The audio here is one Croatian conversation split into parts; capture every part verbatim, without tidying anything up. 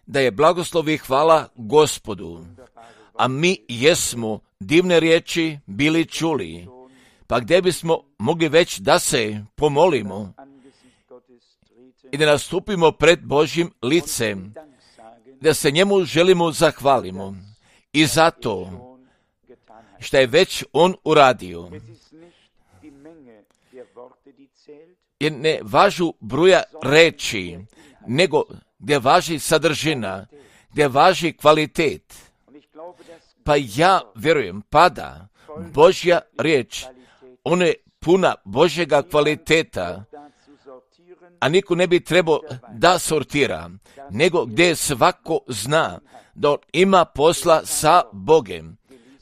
da je blagoslov i hvala Gospodu, a mi jesmo divne riječi bili čuli, pa gdje bismo mogli već da se pomolimo i da nastupimo pred Božjim licem, da se njemu želimo zahvalimo i zato što je već on uradio. Jer ne važu bruja reči, nego gdje važi sadržina, gdje važi kvalitet. Pa ja vjerujem, pada Božja riječ, ona je puna Božjega kvaliteta, a niko ne bi trebao da sortira, nego gdje svako zna da on ima posla sa Bogem.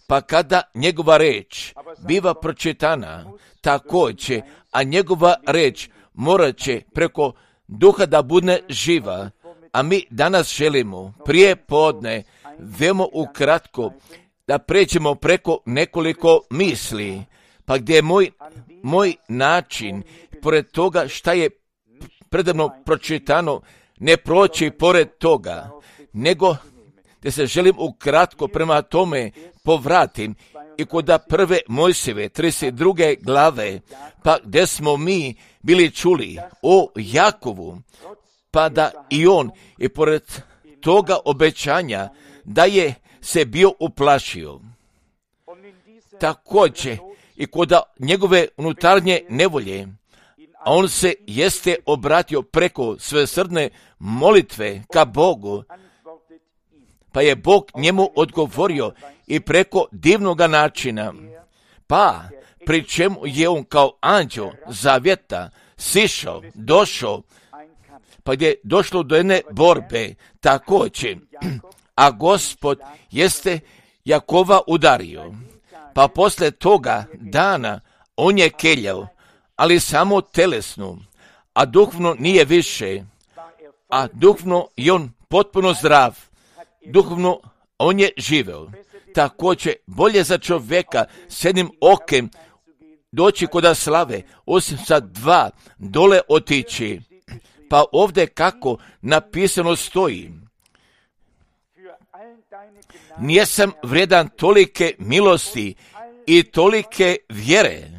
Pa kada njegova reč biva pročitana, također, a njegova reč morat će preko duha da bude živa, a mi danas želimo prije podne, veoma ukratko, da pređemo preko nekoliko misli, pa gdje je moj, moj način, pored toga šta je predavno pročitano, ne proći pored toga, nego da se želim ukratko prema tome povratim i kod prve Mojsijeve trideset druge glave, pa gdje smo mi bili čuli o Jakovu, pa da i on i pored toga obećanja da je se bio uplašio. Također i kod njegove unutarnje nevolje, a on se jeste obratio preko svesrdne molitve ka Bogu, pa je Bog njemu odgovorio i preko divnoga načina. Pa, pri čemu je on kao anđeo zavjeta sišao, došao, pa gdje je došlo do jedne borbe, također, a Gospod jeste Jakova udario. Pa posle toga dana on je keljao, ali samo telesno, a duhovno nije više, a duhovno je on potpuno zdrav, duhovno on je živeo. Također, bolje za čovjeka s jednim okem doći koda slave, osim sa dva dole otići. Pa ovdje kako napisano stoji, nijesam vrijedan tolike milosti i tolike vjere,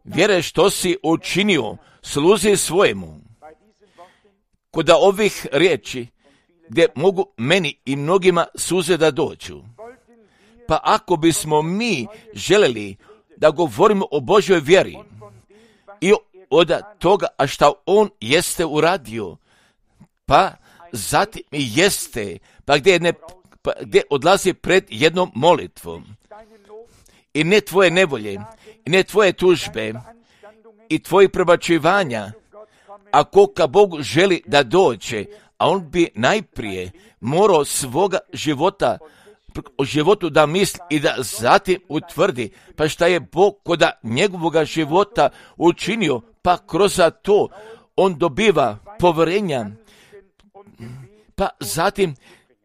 vjere što si učinio sluzi svojemu. Kod ovih riječi, gdje mogu meni i mnogima suze da dođu. Pa ako bismo mi željeli da govorimo o Božjoj vjeri i od toga, a šta on jeste uradio, pa zatim jeste, pa gdje, ne, pa gdje odlazi pred jednom molitvom. I ne tvoje nevolje, i ne tvoje tužbe, i tvoji prebačivanja, ako ka Bogu želi da dođe, a on bi najprije morao svoga života, o životu da misli i da zatim utvrdi, pa šta je Bog koda njegovoga života učinio, pa kroz to on dobiva povjerenja, pa zatim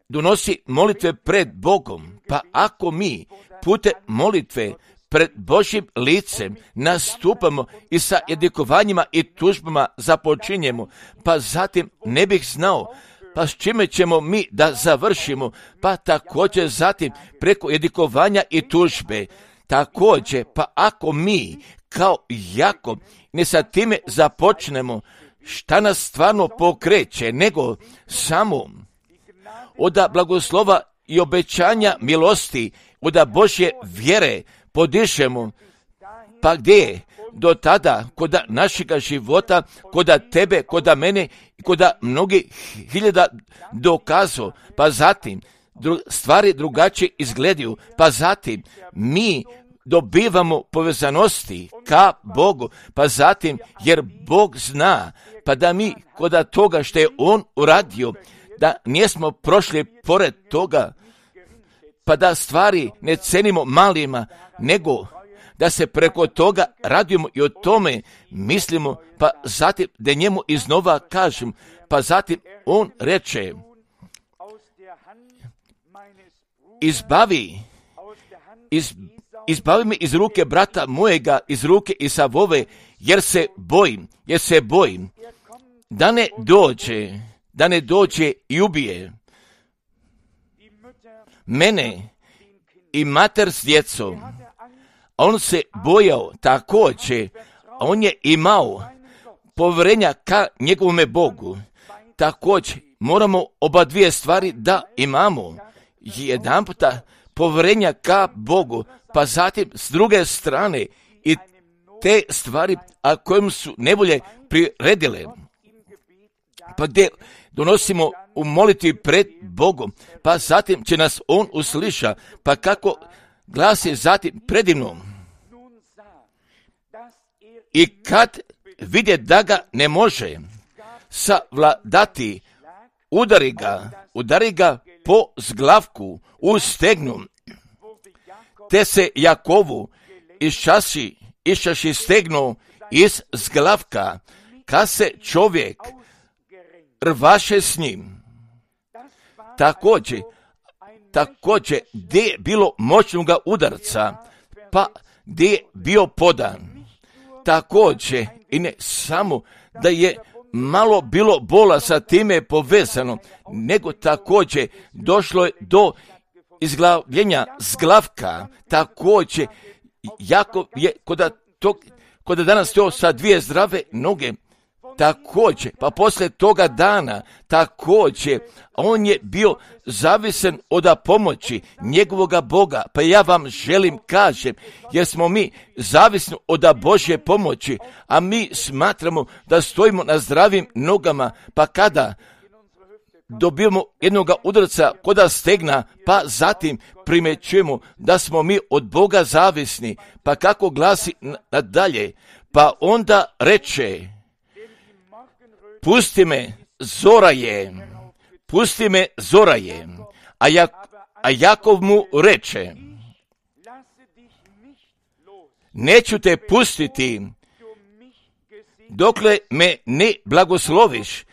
donosi molitve pred Bogom. Pa ako mi putem molitve pred Božjim licem nastupamo i sa jedikovanjima i tužbama započinjemo, pa zatim ne bih znao, pa s čime ćemo mi da završimo, pa također zatim preko jedikovanja i tužbe. Također, pa ako mi kao Jakov ne sa time započnemo, šta nas stvarno pokreće, nego samo od blagoslova i obećanja milosti, od Božje vjere podišemo, pa gdje je do tada, koda našega života, koda tebe, koda mene, koda mnogi hiljada dokazo, pa zatim dru, stvari drugačije izgledaju, pa zatim mi dobivamo povezanosti ka Bogu, pa zatim jer Bog zna, pa da mi koda toga što je on uradio, da nismo prošli pored toga, pa da stvari ne cenimo malima, nego da se preko toga radimo i o tome mislimo, pa zatim da njemu iznova kažem, pa zatim on reče, izbavi, iz, izbavi me iz ruke brata mojega, iz ruke Isavove, jer se bojim, jer se bojim, da ne dođe da ne dođe i ubije mene i mater s djecom. On se bojao također, on je imao povjerenja ka njegovome Bogu. Također moramo oba dvije stvari da imamo. Jedan puta povjerenja ka Bogu, pa zatim s druge strane i te stvari, a kojim su nevolje priredile, pa gdje donosimo u molitvi pred Bogom, pa zatim će nas On usliša, pa kako glasi zatim predivno. I kad vidje da ga ne može savladati, udari ga, udari ga po zglavku, u stegnu, te se Jakovu iščaši, iščaši stegnu iz zglavka, kad se čovjek rvaše s njim. Također, također, gdje je bilo moćnoga udarca, pa gdje je bio podan. Također, i ne samo da je malo bilo bola sa time povezano, nego također došlo je do izglavljenja zglavka. Također, Jakov je kod tog, kod danas to sa dvije zdrave noge, također, pa poslije toga dana, također, on je bio zavisen od pomoći njegovoga Boga. Pa ja vam želim kažem, jer smo mi zavisni od Božje pomoći, a mi smatramo da stojimo na zdravim nogama, pa kada dobijemo jednog udarca koda stegna, pa zatim primećujemo da smo mi od Boga zavisni, pa kako glasi nadalje, pa onda reče, pusti me, zora je, pusti me, zora je. A, Jak, a Jakov mu reče, neću te pustiti dokle me ne blagosloviš.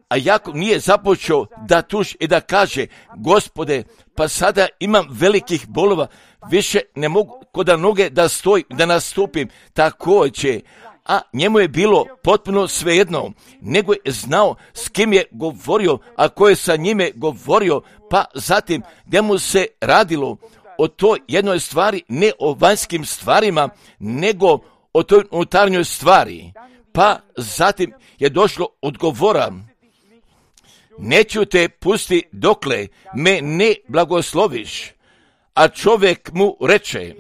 A Jakov nije započeo da tuž i da kaže, Gospode, pa sada imam velikih bolova, više ne mogu kod noge da stojim, da nastupim također. A njemu je bilo potpuno svejedno, nego je znao s kim je govorio, a ko je sa njime govorio, pa zatim gdje mu se radilo o toj jednoj stvari, ne o vanjskim stvarima, nego o toj unutarnjoj stvari. Pa zatim je došlo odgovora, neću te pusti dokle me ne blagosloviš. A čovjek mu reče,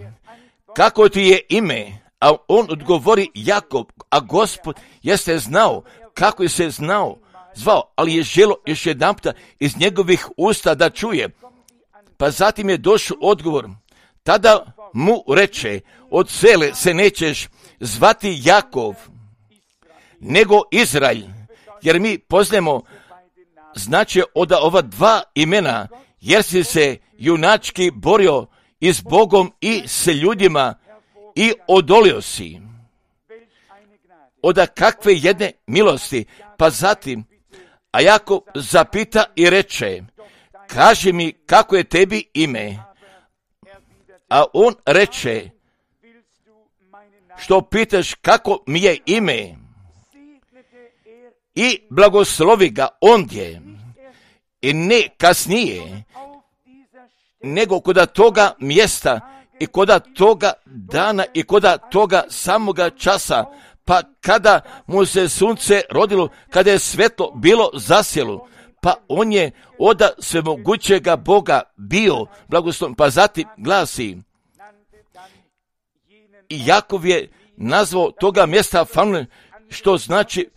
kako ti je ime? A on odgovori, Jakov, a Gospod jeste znao kako je se znao, zvao, ali je želo još jedan puta iz njegovih usta da čuje. Pa zatim je došao odgovor, tada mu reče, od sele se nećeš zvati Jakov, nego Izrael, jer mi poznajemo znači od ova dva imena, jer si se junački borio i s Bogom i s ljudima, i odolio si. Oda kakve jedne milosti, pa zatim, a Jakov zapita i reče, kaži mi kako je tebi ime. A on reče, što pitaš kako mi je ime? I blagoslovi ga ondje, i ne kasnije, nego kod toga mjesta, i koda toga dana i koda toga samoga časa, pa kada mu se sunce rodilo, kada je svetlo bilo zasjelo, pa on je od svemogućega Boga bio blagosloven. Pa zatim glasi, i Jakov je nazvao toga mjesta Fanuel, što znači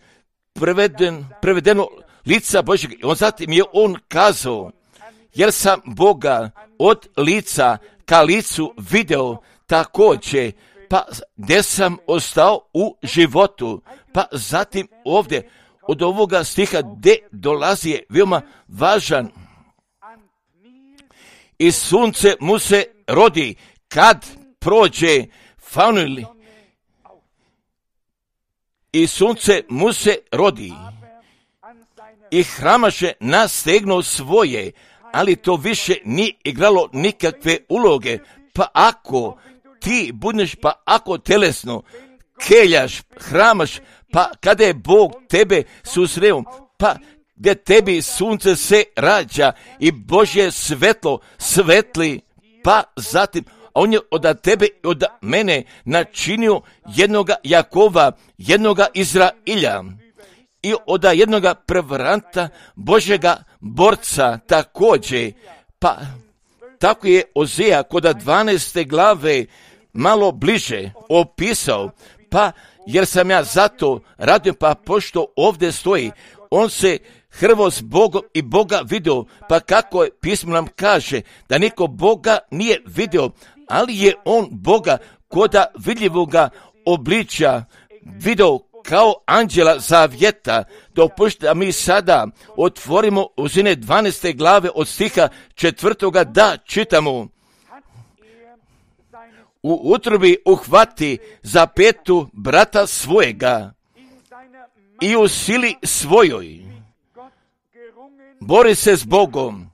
preveden, prevedeno lica Božjega. I on zatim je on kazao, jer sam Boga od lica ka licu video također, pa gdje sam ostao u životu. Pa zatim ovdje od ovoga stiha gdje dolazi je veoma važan. I sunce mu se rodi kad prođe Fanuel. I sunce mu se rodi i hramaše na stegno svoje, ali to više nije igralo nikakve uloge. Pa ako ti budeš, pa ako telesno keljaš, hramaš, pa kada je Bog tebe susreo, pa gdje tebi sunce se rađa i Božje svetlo svetli, pa zatim on je od tebe i od mene načinio jednoga Jakova, jednoga Izrailja i od jednoga prevaranta Božjega borca također. Pa tako je Ozija kod dvanaeste glave malo bliže opisao, pa jer sam ja zato radio, pa pošto ovdje stoji, on se hrvo s Bogom i Boga vidio, pa kako je pismo nam kaže, da niko Boga nije vidio, ali je on Boga koda vidljivoga obličja vidio kao anđela zavjeta. Dopušta da mi sada otvorimo Ozine dvanaeste glave od stiha četvrtoga da čitamo. U utrobi uhvati za petu brata svojega i u sili svojoj bori se s Bogom,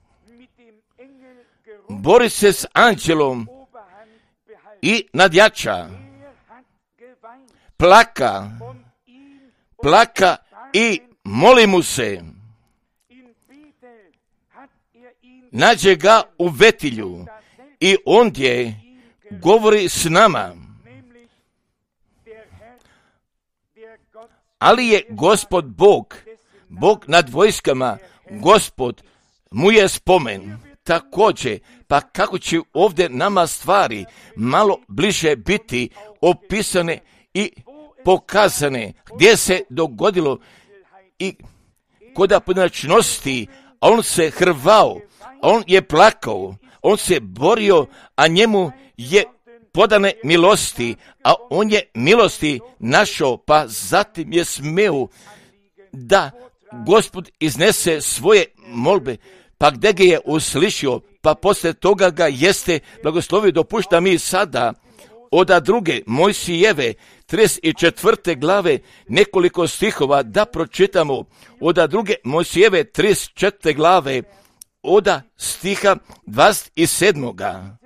bori se s anđelom i nadjača, plaka, plaka i moli mu se. Nađe ga u Vetilju i ondje govori s nama. Ali je Gospod Bog, Bog nad vojskama, Gospod mu je spomen. Također, pa kako će ovdje nama stvari malo bliže biti opisane i pokazane, gdje se dogodilo i koda pojedinačnosti, a on se hrvao, on je plakao, on se borio, a njemu je podane milosti, a on je milosti našao, pa zatim je smeo da Gospod iznese svoje molbe, pa gdje ga je uslišio, pa poslije toga ga jeste blagoslovio. Dopušta mi sada od druge Mojsijeve trideset četvrte glave nekoliko stihova da pročitamo. Od druge Mojsijeve trideset četvrte glave od stiha dvadeset sedmoga.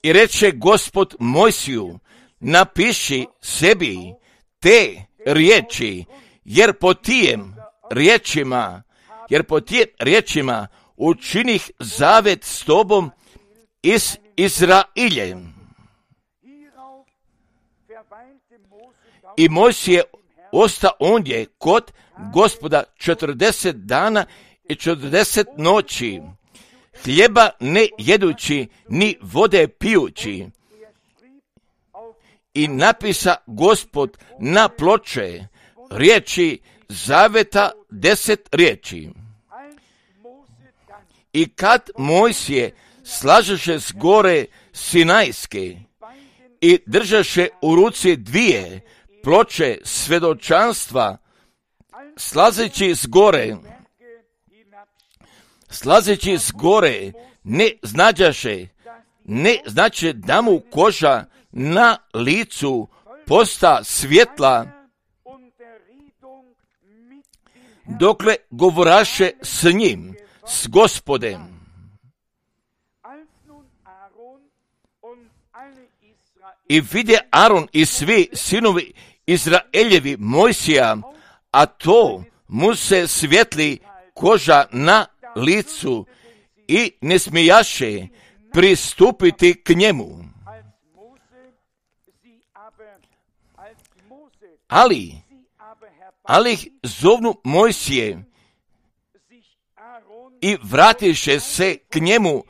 I reče Gospod Mojsiju, napiši sebi te riječi, jer po tijem riječima, jer po tijem riječima učinih zavet s tobom i s Izrailjem. I Mojsije osta ondje kod Gospoda četrdeset dana i četrdeset noći, hljeba ne jedući, ni vode pijući. I napisa Gospod na ploče riječi zaveta, deset riječi. I kad Mojsije slažeše s gore Sinajske i držaše u ruci dvije ploče svjedočanstva, slazeći s gore, slazeći s gore, ne znađaše, ne znači da mu koža na licu posta svjetla, dokle govoraše s njim, s Gospodem. I vide Aron i svi sinovi Izraeljevi Mojsija, a to mu se svjetli koža na licu i ne smijaše pristupiti k njemu. Ali, ali ih zovnu Mojsije i vratiše se k njemu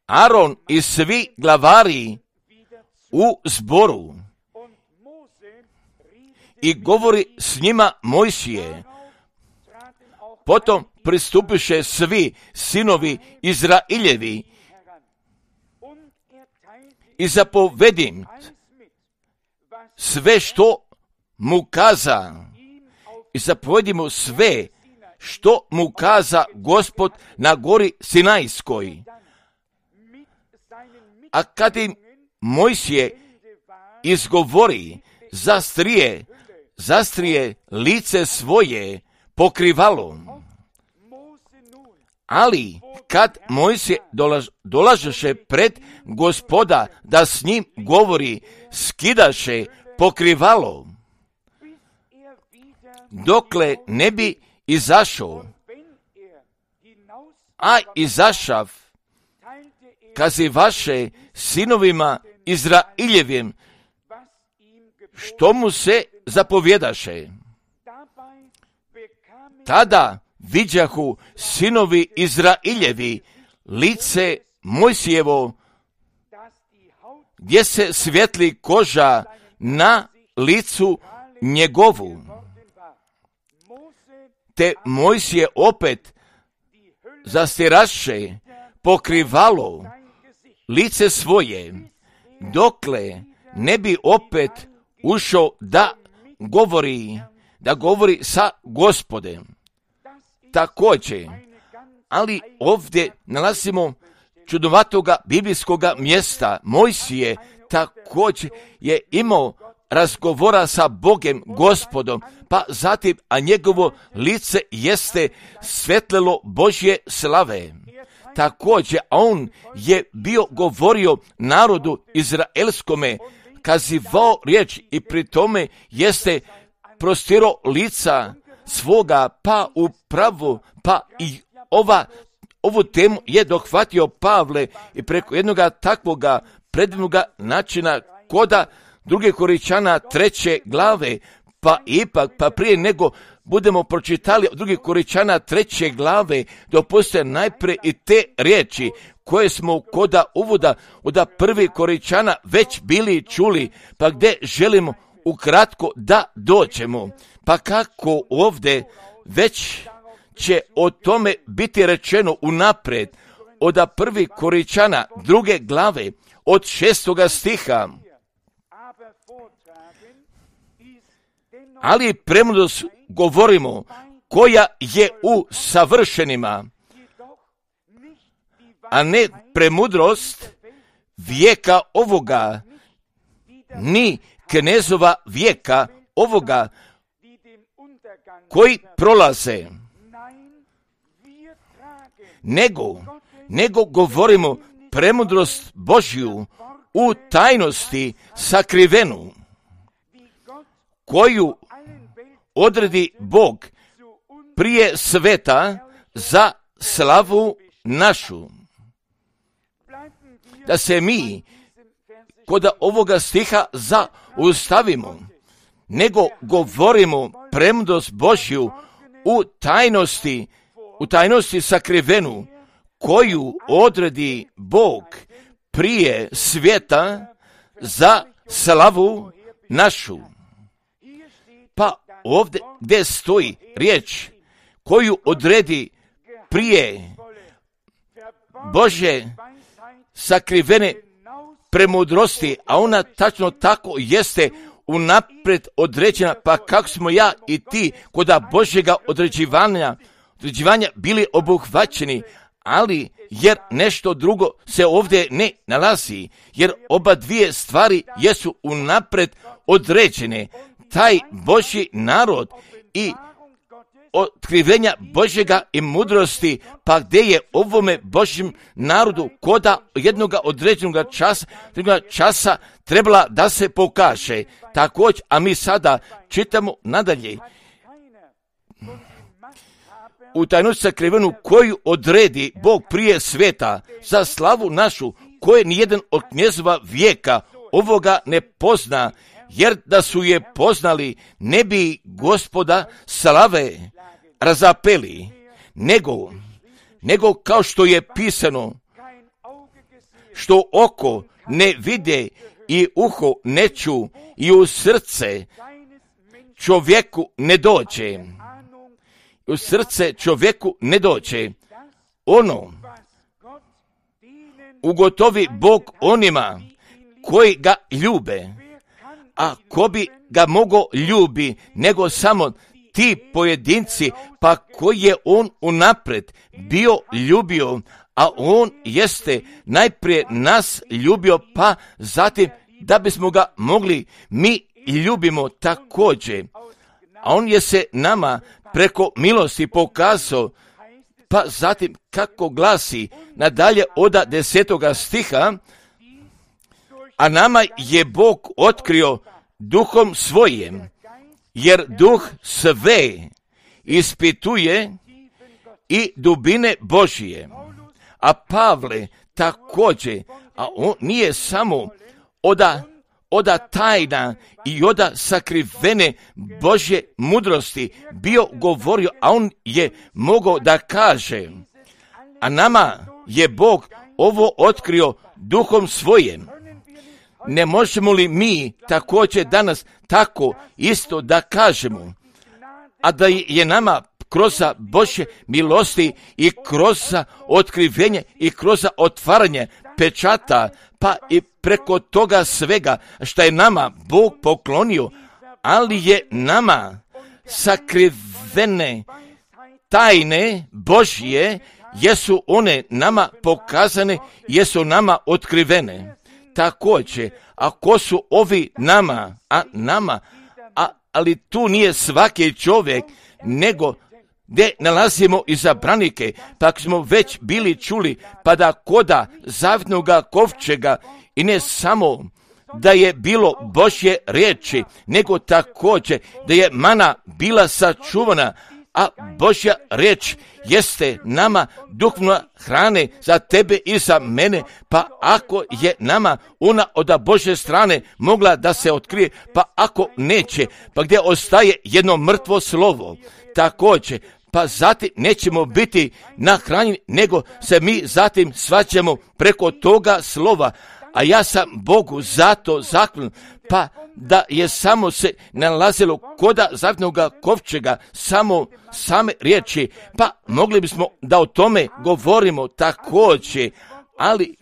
Aron i svi glavari u zboru. I govori s njima Mojsije. Potom pristupiše svi sinovi Izrailjevi i zapovedim sve što mu kaza. I zapovedimo sve što mu kaza Gospod na gori Sinajskoj. A kad im Mojsije izgovori, zastrije, zastrije lice svoje pokrivalom. Ali kad Mojsije dolaž, dolažeše pred Gospoda da s njim govori, skidaše pokrivalo, dokle ne bi izašao, a izašav, kazi vaše sinovima Izraeljevim, što mu se zapovjedaše. Tada viđahu sinovi Izraeljevi lice Mojsijevo, gdje se svjetli koža na licu njegovu. Te Mojsije opet zastiraše pokrivalo lice svoje, dokle ne bi opet ušao da govori, da govori sa Gospodem. Također, ali ovdje nalazimo čudovatoga biblijskoga mjesta. Mojsije također je imao razgovora sa Bogem, Gospodom, pa zatim, a njegovo lice jeste svetlelo Božje slave. Također, a on je bio govorio narodu izraelskome, kazivao riječ i pri tome jeste prostirao lica svoga, pa u pravu, pa i ova, ovu temu je dohvatio Pavle i preko jednoga takvoga predivnoga načina koda druge Korinćana treće glave, pa ipak, pa prije nego budemo pročitali od druge Korinćana treće glave, dopustite najprije i te riječi koje smo koda uvoda od prvi Korinćana već bili čuli, pa gdje želimo ukratko da dođemo. Pa kako ovdje već će o tome biti rečeno unaprijed od prvi Korinćana druge glave od šestoga stiha. Ali premudrost govorimo koja je u savršenima, a ne premudrost vijeka ovoga, ni knezova vijeka ovoga koji prolaze, nego, nego govorimo premudrost Božju u tajnosti sakrivenu, koju odredi Bog prije sveta za slavu našu. Da se mi kod ovoga stiha zaustavimo, nego govorimo premudrost Božju u tajnosti, u tajnosti sakrivenu, koju odredi Bog prije svijeta za slavu našu. Pa ovdje gdje stoji riječ koju odredi prije Bože sakrivene premudrosti, a ona tačno tako jeste unaprijed određena, pa kako smo ja i ti kod Božjega određivanja, određivanja bili obuhvaćeni, ali jer nešto drugo se ovdje ne nalazi, jer oba dvije stvari jesu unaprijed određene. Taj Božji narod i otkrivenja Božjega i mudrosti, pa gdje je ovome Božjem narodu koda jednoga određenog časa, časa trebala da se pokaže. Također, a mi sada čitamo nadalje. U tajnosti sakrivenu koju odredi Bog prije sveta za slavu našu, koje nijedan od knjezova vijeka ovoga ne pozna, jer da su je poznali, ne bi Gospoda slave razapeli, nego, nego kao što je pisano, što oko ne vide i uho ne ču i u srce čovjeku ne dođe. U srce čovjeku ne dođe. Ono ugotovi Bog onima koji ga ljube. A ko bi ga mogo ljubi, nego samo ti pojedinci, pa koji je on unaprijed bio ljubio, a on jeste najprije nas ljubio, pa zatim da bismo ga mogli mi ljubimo također. A on je se nama preko milosti pokazao, pa zatim kako glasi nadalje od desetoga stiha, a nama je Bog otkrio duhom svojim, jer duh sve ispituje i dubine Božije. A Pavle također, a on nije samo oda, oda tajna i oda sakrivene Božje mudrosti bio govorio, a on je mogao da kaže, a nama je Bog ovo otkrio duhom svojim. Ne možemo li mi također danas tako isto da kažemo, a da je nama kroz Božje milosti i kroz otkrivenje i kroz otvaranje pečata, pa i preko toga svega što je nama Bog poklonio, ali je nama sakrivene tajne Božje, jesu one nama pokazane, jesu nama otkrivene. Također, ako su ovi nama, a nama, a, ali tu nije svaki čovjek, nego gdje nalazimo izabranike, pa smo već bili čuli, pa da koda zavitnoga kovčega i ne samo da je bilo Božje riječi, nego također da je mana bila sačuvana, a Božja riječ jeste nama duhovna hrane za tebe i za mene, pa ako je nama ona od Božje strane mogla da se otkrije, pa ako neće, pa gdje ostaje jedno mrtvo slovo, također, pa zatim nećemo biti nahranjeni, nego se mi zatim svaćamo preko toga slova. A ja sam Bogu zato zahvalan, pa da je samo se nalazilo koda zavitnoga kovčega, samo same riječi, pa mogli bismo da o tome govorimo također, ali,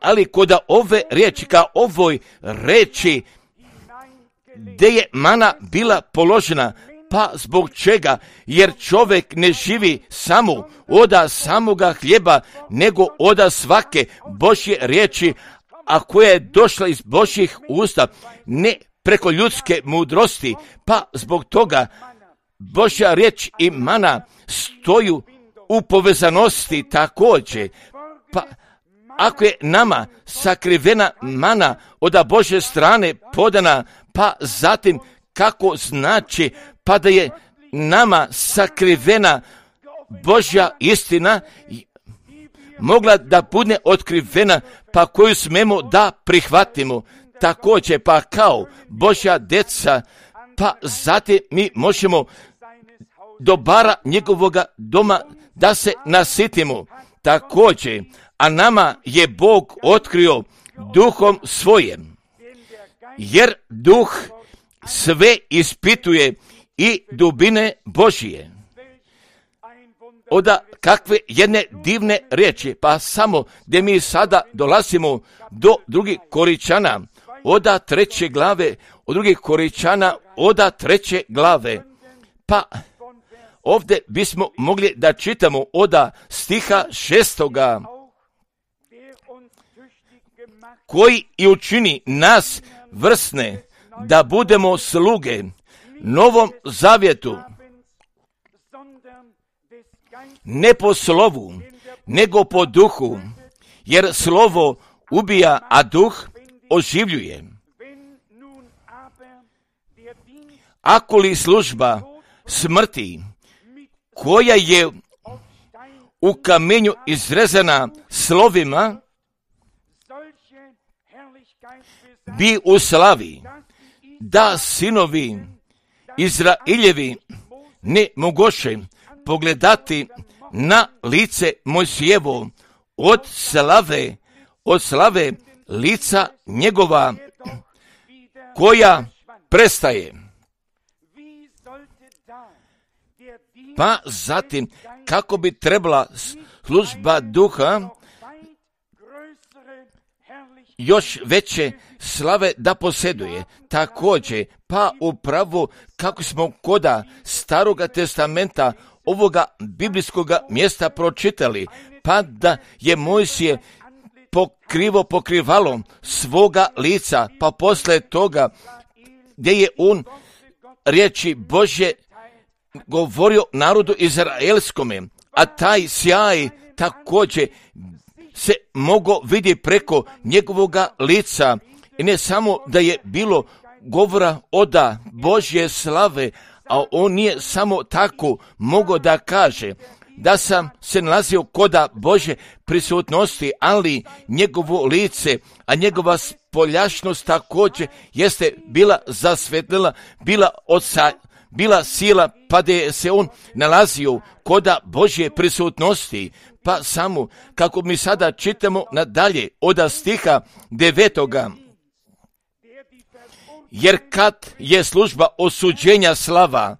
ali koda ove riječi, ka ovoj reči, gdje je mana bila položena, pa zbog čega? Jer čovjek ne živi samo oda samoga hljeba, nego oda svake Božje riječi, a koja je došla iz Božjih usta, ne preko ljudske mudrosti, pa zbog toga Božja riječ i mana stoju u povezanosti također. Pa ako je nama sakrivena mana od Božje strane podana, pa zatim kako znači, pa da je nama sakrivena Božja istina mogla da bude otkrivena, pa koju smemo da prihvatimo. Također, pa kao Božja deca, pa zatim mi možemo dobara njegovoga doma da se nasitimo. Također, a nama je Bog otkrio duhom svojim, jer duh sve ispituje i dubine Božije. Oda kakve jedne divne riječi, pa samo gdje mi sada dolazimo do drugih Koričana, oda treće glave, od drugih Koričana, oda treće glave, pa ovdje bismo mogli da čitamo oda stiha šestoga, koji i učini nas vrsne da budemo sluge novom zavjetu, ne po slovu, nego po duhu, jer slovo ubija, a duh oživljuje. Ako li služba smrti, koja je u kamenju izrezana slovima, bi u slavi, da sinovi Izraeljevi ne mogoše pogledati na lice Mojsijevo od slave, od slave lica njegova, koja prestaje. Pa zatim, kako bi trebala služba duha još veće slave da posjeduje. Također, pa upravo kako smo koda Staroga testamenta ovoga biblijskoga mjesta pročitali, pa da je Mojsije pokrivo pokrivalo svoga lica, pa posle toga gdje je on riječi Božje govorio narodu izraelskome, a taj sjaj također se mogao vidjeti preko njegovoga lica. I ne samo da je bilo govora oda Božje slave, a on nije samo tako mogao da kaže da sam se nalazio koda Božje prisutnosti, ali njegovo lice, a njegova spoljašnost također jeste bila zasvetlila, bila oca, bila sila, pa da se on nalazio koda Božje prisutnosti. Pa samo kako mi sada čitamo nadalje od stiha devetoga. Jer kad je služba osuđenja slava,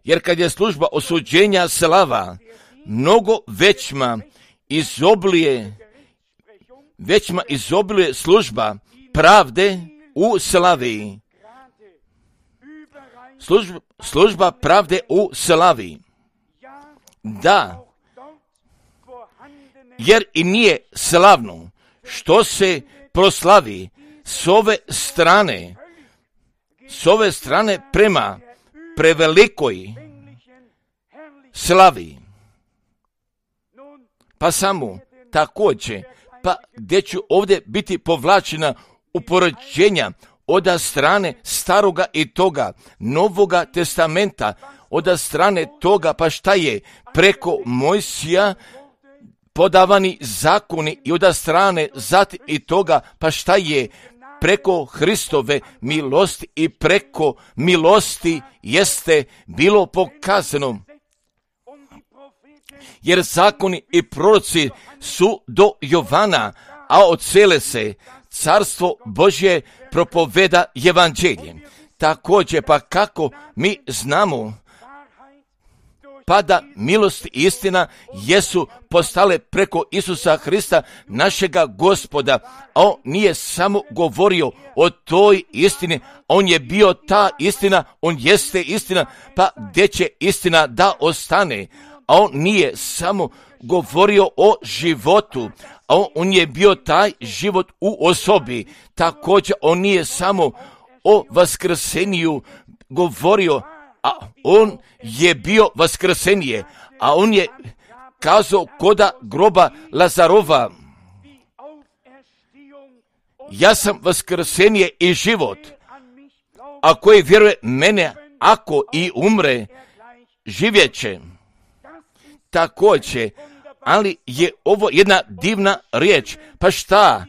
jer kad je služba osuđenja slava, mnogo većma izoblije, većma izoblije služba pravde u slavi. Služba, služba pravde u slavi. Da, jer i nije slavno što se proslavi s ove strane, s ove strane prema prevelikoj slavi. Pa samo također, pa gdje ću ovdje biti povlačena upoređenja od strane staroga i toga Novoga testamenta, od strane toga pa šta je preko Mojsija podavani zakoni i od strane zatim i toga pa šta je preko Hristove milosti i preko milosti jeste bilo pokazano. Jer zakoni i proroci su do Jovana, a odsele se carstvo Božje propoveda evanđelje. Također pa kako mi znamo, pa da milost i istina jesu postale preko Isusa Hrista našega Gospoda, a on nije samo govorio o toj istini, on je bio ta istina, on jeste istina, pa gdje će istina da ostane, a on nije samo govorio o životu, a on, on je bio taj život u osobi. Također on nije samo o vaskrsenju govorio, a on je bio vaskrsenje, a on je kazao koda groba Lazarova, ja sam vaskrsenje i život, a koji vjeruje mene, ako i umre, živjet će. Također, ali je ovo jedna divna riječ. Pa šta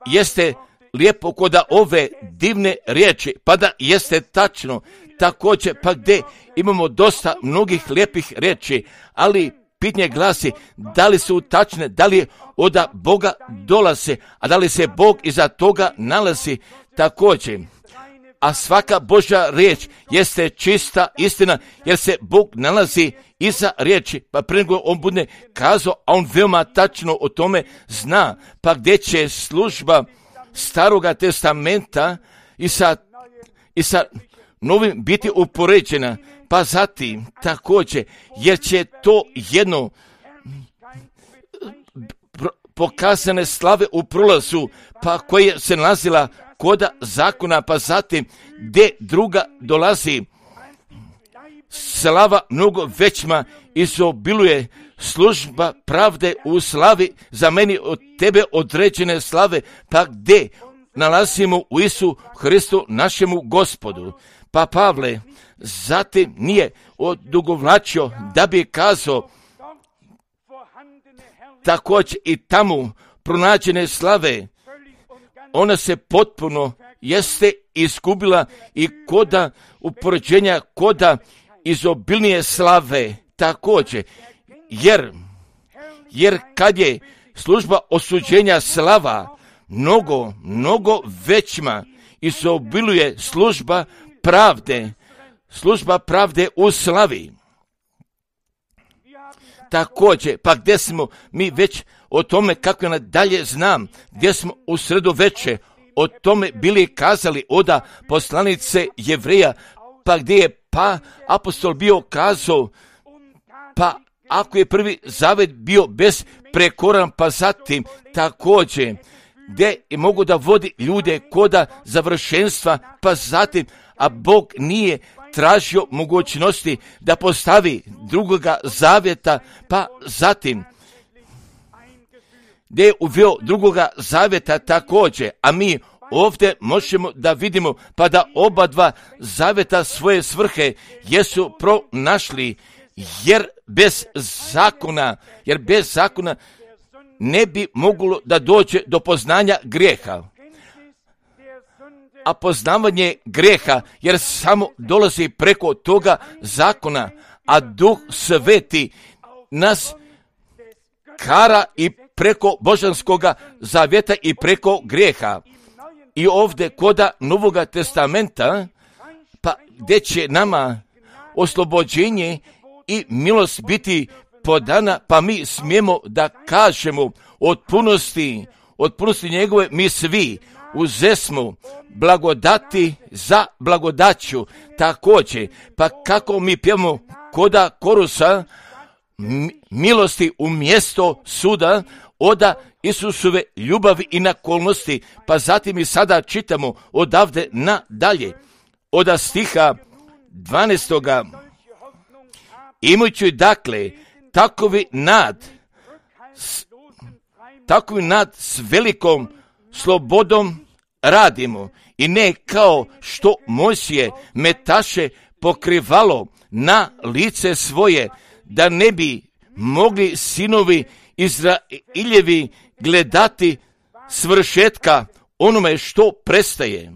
jeste lijepo koda ove divne riječi? Pa da jeste tačno. Također, pa gdje imamo dosta mnogih lijepih riječi, ali pitanje glasi da li su tačne, da li od Boga dolaze, a da li se Bog iza toga nalazi također. A svaka Božja riječ jeste čista istina, jer se Bog nalazi iza riječi, pa prije nego on bude kazao, a on veoma tačno o tome zna, pa gdje će služba Staroga testamenta i sa, i sa novim biti upoređena, pa zatim također, jer će to jedno pokazane slave u prolazu, pa koje se nalazila koda zakona, pa zatim gdje druga dolazi slava mnogo većma izobiluje služba pravde u slavi za meni od tebe određene slave, pa gdje nalazimo u Isu Hristu našemu Gospodu. Pa Pavle zatim nije odugovlačio da bi kazao također i tamo pronađene slave, ona se potpuno jeste izgubila i koda upoređenja, koda izobilnije slave također, jer, jer kad je služba osuđenja slava, mnogo, mnogo većma izobiluje služba pravde, služba pravde u slavi. Također, pa gdje smo mi već o tome, kako ja dalje znam, gdje smo u sredu veče o tome bili kazali oda poslanice Jevreja, pa gdje je pa apostol bio kazao, pa ako je prvi zavet bio bez prekoran, pa zatim također gdje je mogu da vodi ljude koda završenstva, pa zatim, a Bog nije tražio mogućnosti da postavi drugoga zavjeta, pa zatim gdje je uveo drugoga zavjeta također, a mi ovdje možemo da vidimo pa da oba dva zaveta svoje svrhe jesu pronašli, jer bez zakona, jer bez zakona ne bi moglo da dođe do poznanja grijeha. A poznavanje grijeha, jer samo dolazi preko toga zakona, a Duh Sveti nas kara i preko božanskoga zavjeta i preko grijeha. I ovdje koda Novoga testamenta, pa gdje će nama oslobođenje i milost biti podana, pa mi smijemo da kažemo od punosti, od punosti njegove mi svi uzesmo blagodati za blagodaću. Također, pa kako mi pjevamo koda korusa, milosti umjesto suda, oda Isusove ljubavi i nakolnosti, pa zatim i sada čitamo odavde nadalje, oda stiha dvanaestoga. Imajući dakle takovi nad, s, takovi nad s velikom slobodom radimo, i ne kao što Mojsije metaše pokrivalo na lice svoje, da ne bi mogli sinovi Izrailjevi gledati svršetka onome što prestaje.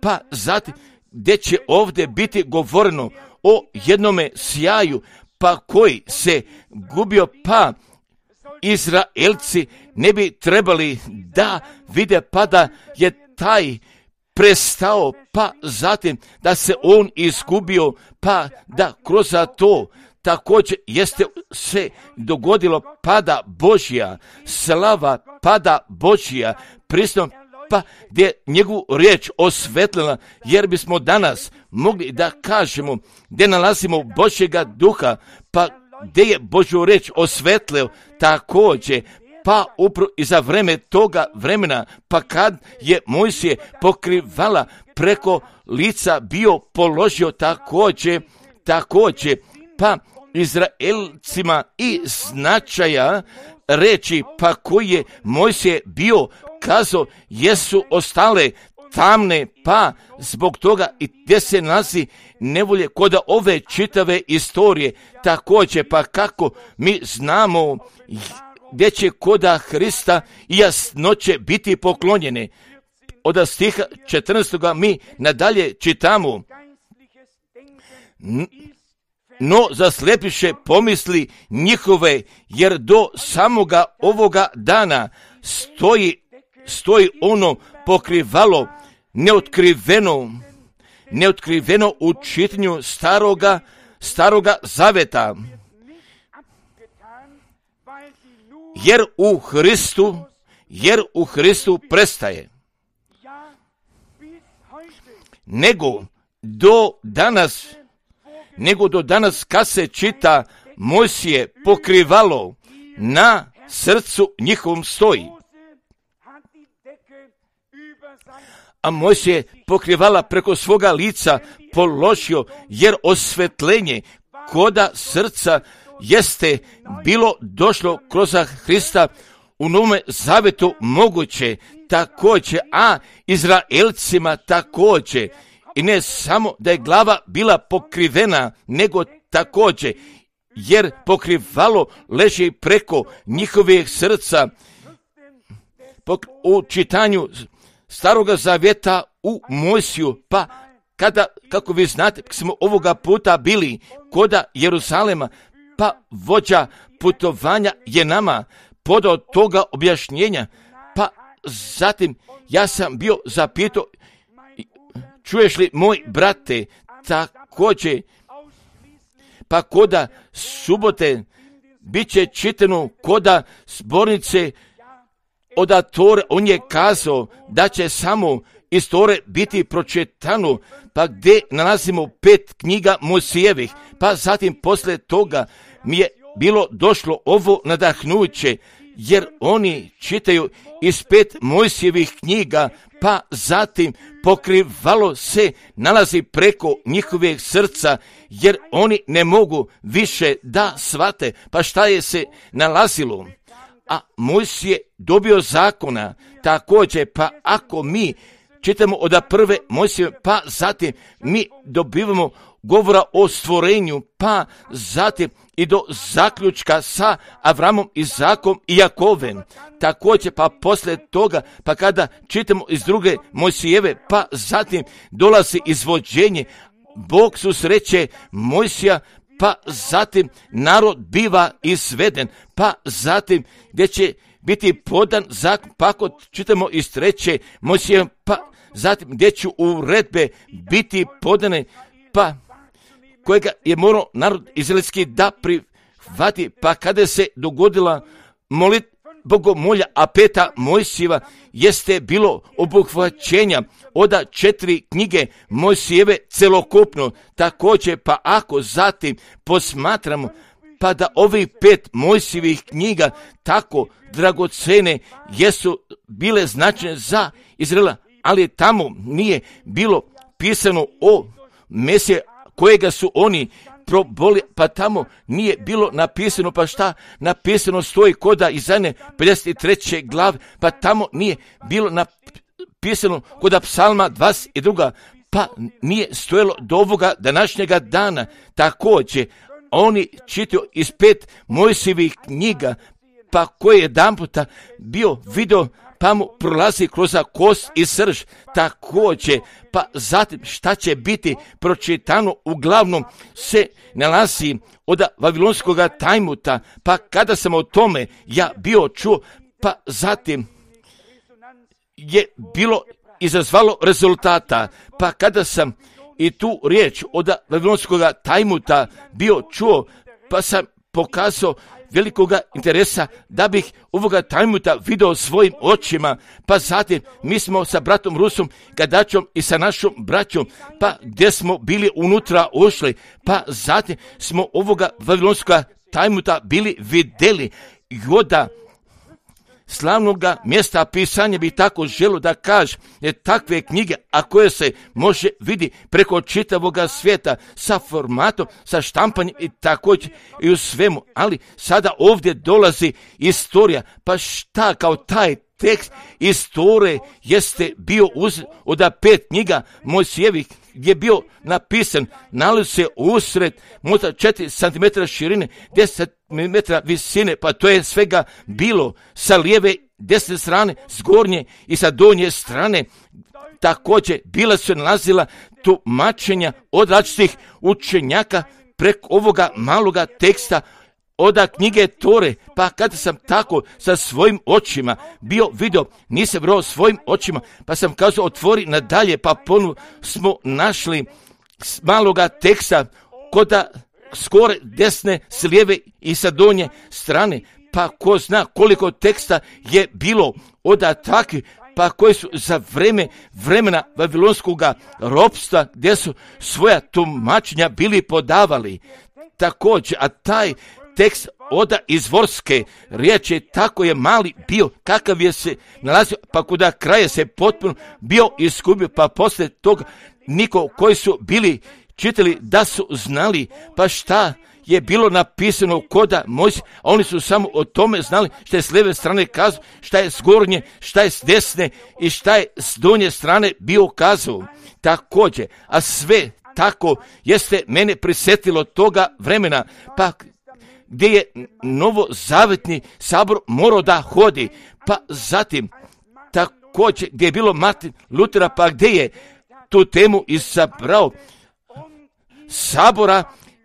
Pa zatim, gdje će ovdje biti govoreno o jednome sjaju, pa koji se gubio, pa Izraelci ne bi trebali da vide, pa da je taj prestao, pa zatim da se on izgubio, pa da kroz to također jeste se dogodilo pada Božja, slava pada Božja, pristom, pa gdje njegovu riječ osvetlila, jer bismo danas mogli da kažemo gdje nalazimo Božjega duha, pa gdje je Božju riječ osvetlio također, pa upravo i za vreme toga vremena, pa kad je Mojsije pokrivala preko lica bio položio također, također, pa Izraelcima i značaja reći, pa koji je Mojsije bio kazao, jesu ostale tamne, pa zbog toga i gdje se nalazi nevolje koda ove čitave istorije, također, pa kako mi znamo gdje će koda Hrista i jasnoće biti poklonjene. Od stiha četrnaestoga mi nadalje čitamo, no zaslepiše pomisli njihove, jer do samoga ovoga dana stoji, stoji ono pokrivalo neotkriveno, neotkriveno u čitanju staroga, staroga zaveta. Jer u Hristu, jer u Hristu prestaje. Nego do danas, nego do danas kad se čita, Mojsije pokrivalo na srcu njihovom stoji. A Mojsije pokrivala preko svoga lica položio, jer osvetljenje koda srca jeste bilo došlo kroz Hrista u Novome Zavetu moguće također, a Izraelcima također. I ne samo da je glava bila pokrivena, nego također, jer pokrivalo leži preko njihovih srca. U čitanju Staroga Zavjeta u Mojsiju, pa kada, kako vi znate, smo ovoga puta bili koda Jeruzalema, pa vođa putovanja je nama podao toga objašnjenja, pa zatim ja sam bio zapitao, čuješ li moj brate, također, pa koda subote bit će čitano koda zbornice od Atore, on je kazao da će samo iz Tore biti pročitano, pa gdje nalazimo pet knjiga Mojsijevih, pa zatim poslije toga mi je bilo došlo ovo nadahnuće, jer oni čitaju iz pet Mojsijevih knjiga, pa zatim pokrivalo se nalazi preko njihovih srca, jer oni ne mogu više da shvate, pa šta je se nalazilo. a Mojsije dobio zakona. Također, pa ako mi čitamo od prve Mojsije, pa zatim mi dobivamo govora o stvorenju, pa zatim i do zaključka sa Avramom, Izakom i Jakovem. Također, pa poslije toga, pa kada čitamo iz druge Mojsijeve, pa zatim dolazi izvođenje. Bog susreće Mojsija, pa zatim narod biva izveden, pa zatim gdje će biti podan zakon, pa ako čitamo iz treće Mojsijeve, pa zatim gdje će uredbe biti podane, pa kojega je morao narod izraelski da prihvati, pa kada se dogodila molit bogomolja, a peta Mojsijeva jeste bilo obuhvaćenja oda četiri knjige Mojsijeve celokupno. Također, pa ako zatim posmatramo, pa da ovih pet Mojsijevih knjiga tako dragocene jesu bile značajne za Izraela, ali tamo nije bilo pisano o Mesije kojega su oni proboli, pa tamo nije bilo napisano, pa šta napisano stoji koda Izaije pedeset treće glave, pa tamo nije bilo napisano koda Psalma dvadeset druga, pa nije stojalo do ovoga današnjega dana. Također, oni čitaju iz pet Mojsijevih knjiga, pa koji je jedan puta bio video, pa mu prolazi kroz kost i srž. Također, pa zatim šta će biti pročitano uglavnom se nalazi od Vavilonskog Talmuda, pa kada sam o tome ja bio čuo, pa zatim je bilo izazvalo rezultata, pa kada sam i tu riječ od Vavilonskog Talmuda bio čuo, pa sam pokazao velikoga interesa da bih ovoga Talmuda vidio svojim očima, pa zatim mi smo sa bratom Rusom Gadačom i sa našom braćom, pa gdje smo bili unutra ušli, pa zatim smo ovoga Vavilonskoga Talmuda bili vidjeli i onda slavnoga mjesta pisanja bi tako želo da kaže je takve knjige, a koje se može vidi preko čitavoga svijeta sa formatom, sa štampanjem i također i u svemu. Ali sada ovdje dolazi istorija, pa šta kao taj tekst istorije jeste bio uz od pet knjiga Mojsijevih gdje je bio napisan, nalazi se usred možda četiri centimetra širine, deset centimetara visine, pa to je svega bilo sa lijeve desne strane, s gornje i sa donje strane. Također bila su nalazila tumačenja od različitih učenjaka preko ovoga maloga teksta od knjige Tore, pa kada sam tako sa svojim očima bio vidio, nisam vjerovao svojim očima, pa sam kazao otvori nadalje, pa ponovno smo našli maloga teksta koda skore desne s lijeve i sa donje strane, pa ko zna koliko teksta je bilo od takvih, pa koji su za vreme vremena Vavilonskog ropstva gdje su svoja tumačenja bili podavali. Također, a taj tekst oda izvorske riječi tako je mali bio, kakav je se nalazio, pa kuda kraja se potpuno bio iskubio, pa poslije toga niko koji su bili čitali da su znali, pa šta je bilo napisano koda Mojsije, a oni su samo o tome znali šta je s lijeve strane kazao, šta je s gornje, šta je s desne i šta je s donje strane bio kazao. Također, a sve tako jeste mene prisjetilo toga vremena, pa gdje je novozavetni sabor morao da hodi, pa zatim također gdje je bilo Martin Lutera, pa gdje je tu temu izabrao sabora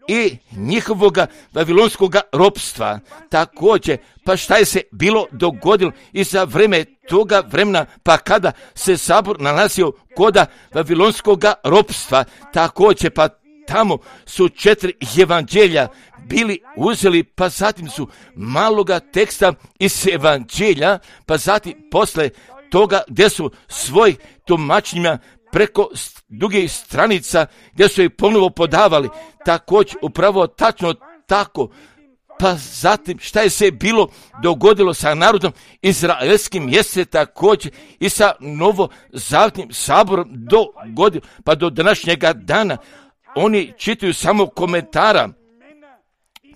i njihovoga vavilonskog ropstva. Također, pa šta je se bilo dogodilo i za vreme toga vremena, pa kada se sabor nalazio koda vavilonskog ropstva, također pa tamo su četiri evanđelja bili uzeli, pa zatim su maloga teksta iz evanđelja, pa zatim posle toga gdje su svoj tumačenjima preko dugih stranica gdje su ih ponovo podavali, također upravo tačno tako, pa zatim šta je se bilo dogodilo sa narodom izraelskim jeste također i sa novozavetnim saborom dogodilo, pa do današnjega dana oni čitaju samo komentara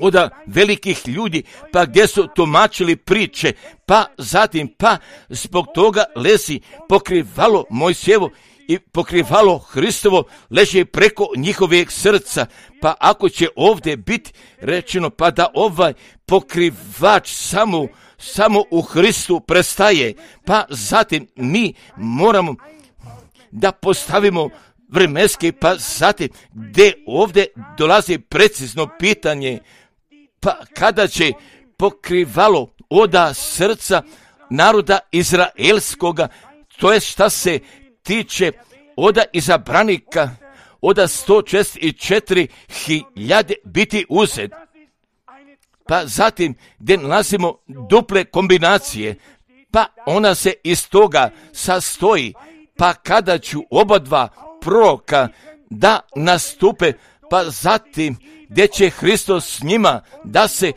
od velikih ljudi, pa gdje su tumačili priče, pa zatim, pa zbog toga lezi pokrivalo Mojsijevo i pokrivalo Hristovo leži preko njihovih srca. Pa ako će ovdje biti rečeno, pa da ovaj pokrivač samo, samo u Hristu prestaje, pa zatim mi moramo da postavimo vremenski, pa zatim gdje ovdje dolazi precizno pitanje, pa kada će pokrivalo oda srca naroda izraelskoga, to je šta se tiče oda izabranika, oda sto šezdeset četiri hiljade biti uzet. Pa zatim gdje nalazimo duple kombinacije, pa ona se iz toga sastoji, pa kada ću oba dva proroka da nastupe, pa zatim gdje će Hristos s njima da se,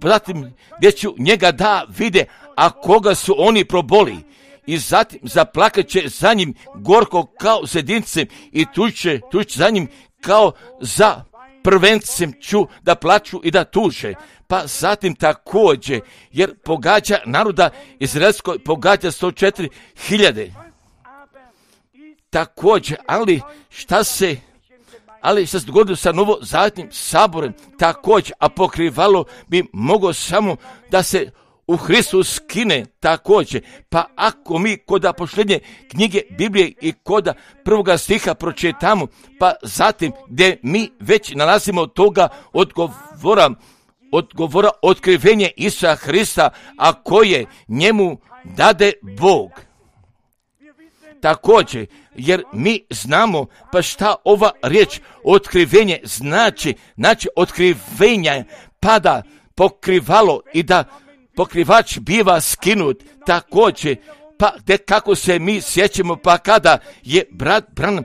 zatim gdje ću njega da vide, a koga su oni proboli. I zatim zaplakat će za njim gorko kao zedincem i tuće, tuće za njim kao za prvencem ću da plaću i da tuže. Pa zatim također, jer pogađa naroda izraelskoj, pogađa sto četiri hiljade. Također, ali šta se, ali šta se dogodilo sa novozavetnim saborem, također, a pokrivalo bi moglo samo da se u Hristu skine također. Pa ako mi koda posljednje knjige Biblije i koda prvoga stiha pročitamo, pa zatim gdje mi već nalazimo toga odgovora, odgovora otkrivenje Isusa Hrista, a koje njemu dade Bog. Također, jer mi znamo pa šta ova riječ otkrivenje znači, znači otkrivenja pada pokrivalo i da pokrivač biva skinut. Također, pa gdje kako se mi sjećamo, pa kada je brat Branham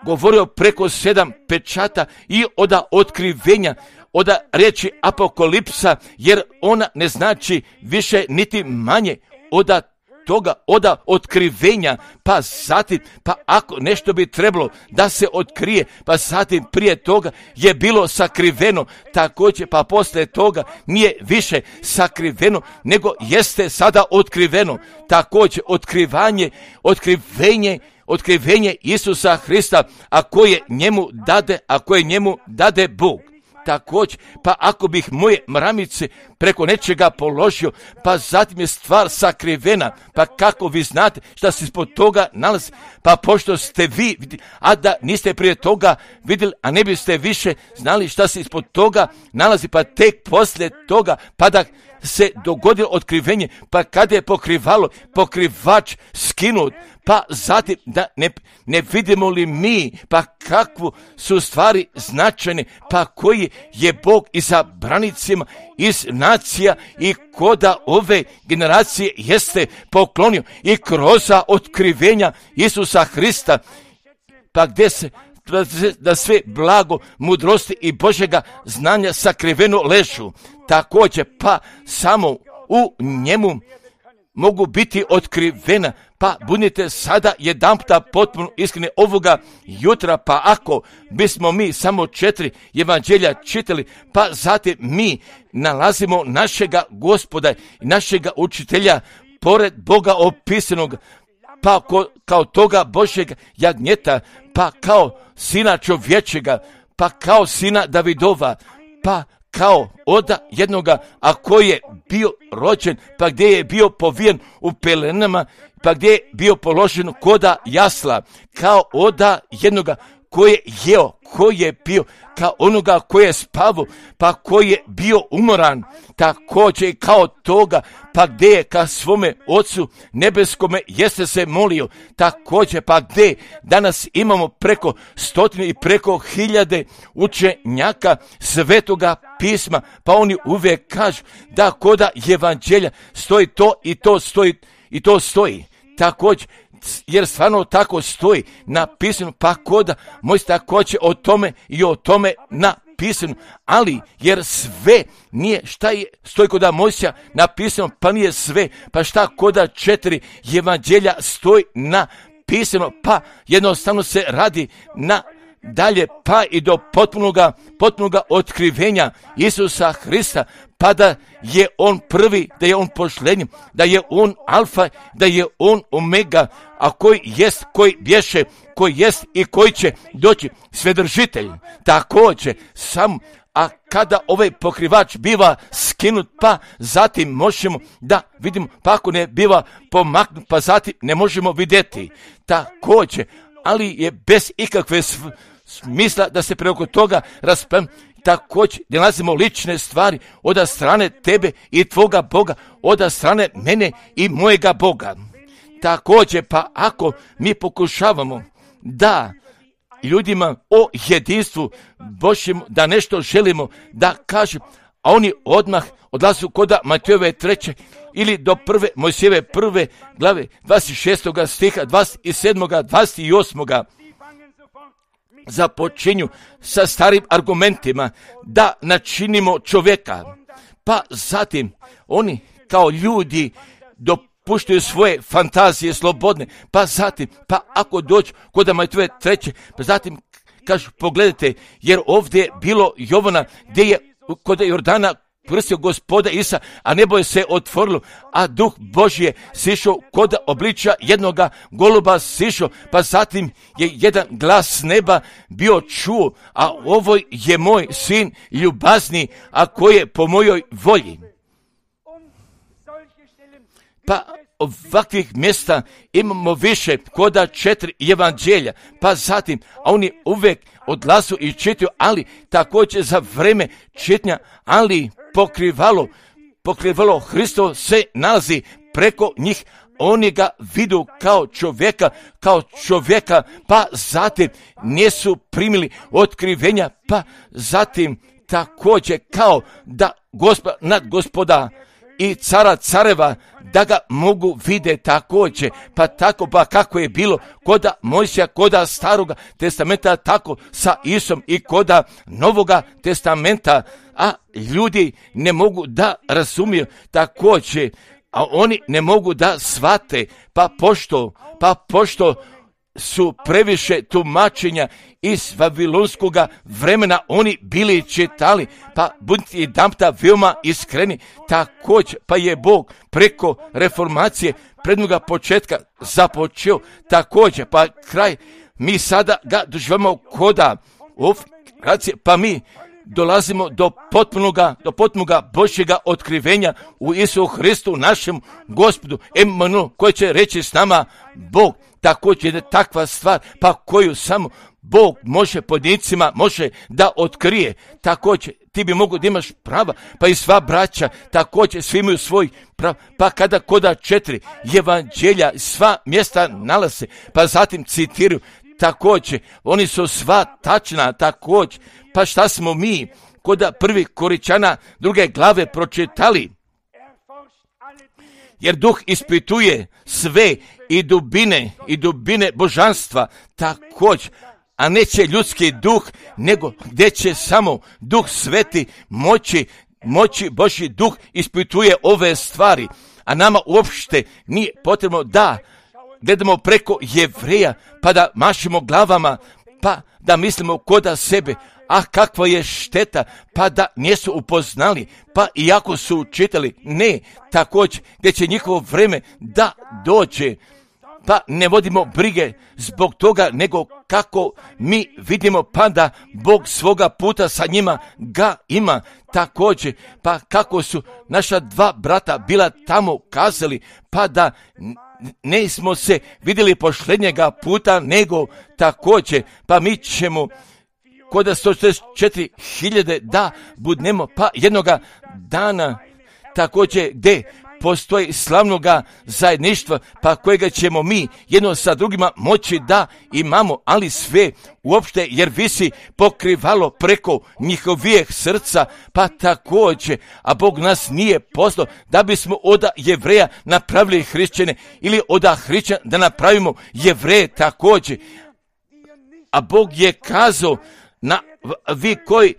govorio preko sedam pečata i oda otkrivenja, oda riječi apokalipsa, jer ona ne znači više niti manje oda toga, oda otkrivenja, pa zatim, pa ako nešto bi trebalo da se otkrije, pa zatim prije toga je bilo sakriveno, također pa poslije toga nije više sakriveno, nego jeste sada otkriveno, također otkrivanje, otkrivenje, otkrivenje Isusa Hrista, a koje njemu dade, a koje njemu dade Bog. Također, pa ako bih moje mramice preko nečega položio, pa zatim je stvar sakrivena, pa kako vi znate šta se ispod toga nalazi, pa pošto ste vi, a da niste prije toga vidjeli, a ne biste više znali šta se ispod toga nalazi, pa tek poslije toga, pa da se dogodilo otkrivenje, pa kada je pokrivalo, pokrivač skinut, pa zatim da ne, ne vidimo li mi, pa kakvu su stvari značajne, pa koji je Bog izabranicima iz nacija i koda ove generacije jeste poklonio i kroz otkrivenja Isusa Hrista, pa gdje se da sve blago, mudrosti i Božjega znanja sakriveno ležu. Također, pa samo u njemu mogu biti otkrivena, pa budite sada jedanputa potpuno iskreni ovoga jutra, pa ako bismo mi samo četiri evanđelja čitali, pa zatim mi nalazimo našega Gospoda i našega učitelja pored Boga opisanog, pa ko, kao toga Božjeg jagnjeta, pa kao sina čovječega, pa kao sina Davidova, pa kao oda jednoga, a koji je bio rođen, pa gdje je bio povijen u pelenama, pa gdje je bio položen koda jasla, kao oda jednoga koji je jeo, koji je pio, kao onoga koji je spavao, pa koji je bio umoran, također kao toga, pa gdje je ka svome Ocu nebeskome jeste se molio, također pa gdje danas imamo preko stotine i preko hiljade učenjaka Svetoga pisma, pa oni uvijek kažu da koda evanđelja stoji to i to stoji i to stoji, također jer stvarno tako stoji napisano, pa koda moj također o tome i o tome napisano, ali jer sve nije šta je stoji koda Mojsija napisano, pa nije sve, pa šta koda četiri evanđelja stoji napisano, pa jednostavno se radi na dalje pa i do potpunoga, potpunoga otkrivenja Isusa Hrista, pa da je On prvi, da je On pošlenjem, da je On alfa, da je On omega, a koji jest, koji bješe, koji jest i koji će doći, svedržitelj, također sam. A kada ovaj pokrivač biva skinut, pa zatim možemo da vidimo, pa ako ne biva pomaknut, pa zatim ne možemo vidjeti. Također, ali je bez ikakve smisla da se preko toga raspravimo. Također, gdje nalazimo lične stvari od strane tebe i tvoga Boga, od strane mene i mojega Boga. Također, pa ako mi pokušavamo da ljudima o jedinstvu Božjem, da nešto želimo da kažem, a oni odmah odlazu kod Matejove treće ili do prve Mojsijeve prve glave dvadeset šestoga stiha, dvadeset sedmoga, dvadeset osmoga započinju sa starim argumentima da načinimo čovjeka, pa zatim oni kao ljudi do puštaju svoje fantazije slobodne, pa zatim, pa ako dođu kod Matejove treće, pa zatim kažu, pogledajte, jer ovdje je bilo Jovana, gdje je kod Jordana krstio Gospoda Isa, a nebo je se otvorilo, a Duh Božji je sišao kod obličja jednoga goluba sišao, pa zatim je jedan glas s neba bio čuo, a ovo je moj sin ljubazni, a koji je po mojoj volji. Pa ovakvih mjesta imamo više koda četiri evanđelja, pa zatim, a oni uvijek odlazu i čitaju, ali također za vreme čitanja, ali pokrivalo, pokrivalo Hristo se nalazi preko njih, oni ga vidu kao čovjeka, kao čovjeka, pa zatim nisu primili otkrivenja, pa zatim također kao da gospa, nad gospoda i cara careva, da ga mogu vidjeti također, pa tako pa kako je bilo koda Mojsija, koda staroga testamenta, tako sa Isom i koda novoga testamenta, a ljudi ne mogu da razumiju također, a oni ne mogu da shvate, pa pošto, pa pošto su previše tumačenja iz vavilonskoga vremena oni bili čitali, pa budite jedanputa veoma iskreni, također pa je Bog preko reformacije prednoga početka započeo, također pa kraj mi sada ga doživamo koda ofracije, pa mi dolazimo do potpunoga, do potpunoga Božjega otkrivenja u Isu Hristu, našem Gospodu, Emanuel, koji će reći s nama Bog. Također je takva stvar, pa koju samo Bog može pojedincima, može da otkrije. Također, ti bi mogu da imaš prava, pa i sva braća, također svi imaju svoj prav, pa kada koda četiri evanđelja, sva mjesta nalaze, pa zatim citiraju, također, oni su sva tačna, također, pa šta smo mi koda prvi Koričana druge glave pročitali? Jer Duh ispituje sve i dubine i dubine božanstva, također, a neće ljudski duh, nego gdje će samo Duh Sveti moći, moći Božji Duh ispituje ove stvari, a nama uopšte nije potrebno da gledamo preko Jevreja, pa da mašimo glavama, pa da mislimo koda sebe, a kakva je šteta, pa da nisu upoznali, pa iako su čitali, ne, također, gdje će njihovo vreme da dođe, pa ne vodimo brige zbog toga, nego kako mi vidimo, pa da Bog svoga puta sa njima ga ima, također, pa kako su naša dva brata bila tamo kazali, pa da ne smo se vidjeli posljednjega puta, nego također, pa mi ćemo koda sto četrdeset četiri hiljade da budnemo, pa jednoga dana također gdje postoji slavnoga zajedništva, pa kojega ćemo mi jedno sa drugima moći da imamo, ali sve uopšte jer visi pokrivalo preko njihovijeg srca, pa također, a Bog nas nije poslao da bismo od Jevreja napravili hrišćane ili od hrišćana da napravimo Jevreje također, a Bog je kazao na vi koji